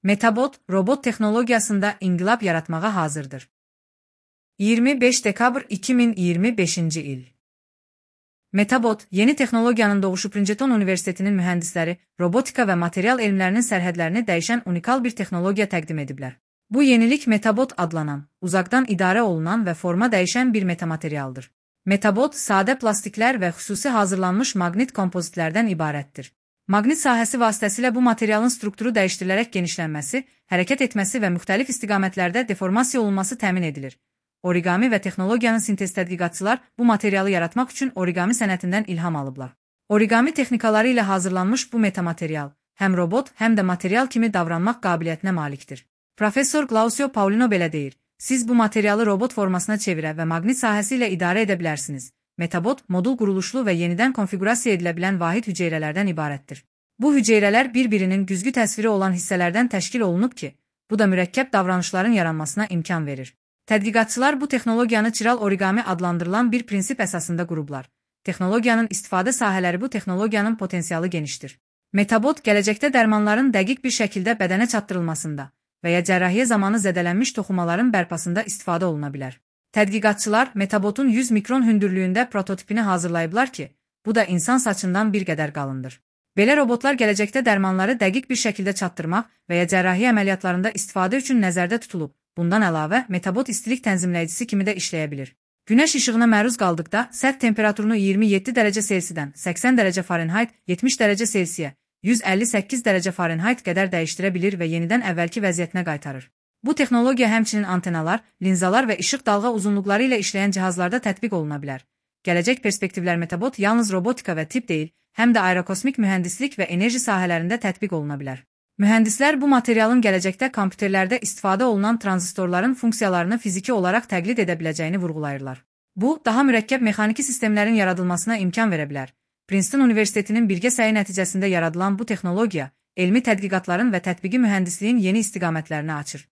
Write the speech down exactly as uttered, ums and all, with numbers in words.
Metabot, robot texnologiyasında inqilab yaratmağa hazırdır. iyirmi beş dekabr iki min iyirmi beşinci il. Metabot, yeni texnologiyanın doğuşu Princeton Universitetinin mühəndisləri, robotika və material elmlərinin sərhədlərini dəyişən unikal bir texnologiya təqdim ediblər. Bu yenilik Metabot adlanan, uzaqdan idarə olunan və forma dəyişən bir metamaterialdır. Metabot, sadə plastiklər və xüsusi hazırlanmış maqnit kompozitlərdən ibarətdir. Maqnit sahəsi vasitəsilə bu materialın strukturu dəyişdirilərək genişlənməsi, hərəkət etməsi və müxtəlif istiqamətlərdə deformasiya olunması təmin edilir. Origami və texnologiyanın sintez tədqiqatçılar bu materialı yaratmaq üçün origami sənətindən ilham alıblar. Origami texnikaları ilə hazırlanmış bu metamaterial, həm robot, həm də material kimi davranmaq qabiliyyətinə malikdir. Professor Glausio Paulino belə deyir, siz bu materialı robot formasına çevirə və maqnit sahəsi ilə idarə edə bilərsiniz. Metabot, modul quruluşlu və yenidən konfigurasiya edilə bilən vahid hüceyrələrdən ibarətdir. Bu hüceyrələr bir-birinin güzgü təsviri olan hissələrdən təşkil olunub ki, bu da mürəkkəb davranışların yaranmasına imkan verir. Tədqiqatçılar bu texnologiyanı çiral origami adlandırılan bir prinsip əsasında qurublar. Texnologiyanın istifadə sahələri bu texnologiyanın potensialı genişdir. Metabot, gələcəkdə dərmanların dəqiq bir şəkildə bədənə çatdırılmasında və ya cərrahiyyə zamanı zədələnmiş toxumaların bərpasında istifadə oluna bilər. Tədqiqatçılar Metabotun yüz mikron hündürlüyündə prototipini hazırlayıblar ki, bu da insan saçından bir qədər qalındır. Belə robotlar gələcəkdə dərmanları dəqiq bir şəkildə çatdırmaq və ya cərrahiyyə əməliyyatlarında istifadə üçün nəzərdə tutulub. Bundan əlavə, Metabot istilik tənzimləyicisi kimi də işləyə bilir. Günəş işığına məruz qaldıqda sərt temperaturunu iyirmi yeddi dərəcə Selsidən səksən dərəcə Farenheit, yetmiş dərəcə Selsiyə, yüz əlli səkkiz dərəcə Farenheit qədər dəyişdirə bilir və yenidən əvvəlki vəziyyətinə qaytarır. Bu texnologiya həmçinin antenalar, linzalar və işıq dalğa uzunluqları ilə işləyən cihazlarda tətbiq oluna bilər. Gələcək perspektivlər Metabot yalnız robotika və tibb deyil, həm də aerokosmik mühəndislik və enerji sahələrində tətbiq oluna bilər. Mühəndislər bu materialın gələcəkdə kompüterlərdə istifadə olunan tranzistorların funksiyalarını fiziki olaraq təqlid edə biləcəyini vurğulayırlar. Bu, daha mürəkkəb mexaniki sistemlərin yaradılmasına imkan verə bilər. Princeton Universitetinin birgə səyi nəticəsində yaradılan bu texnologiya, elmi tədqiqatların və tətbiqi mühəndisliyin yeni istiqamətlərini açır.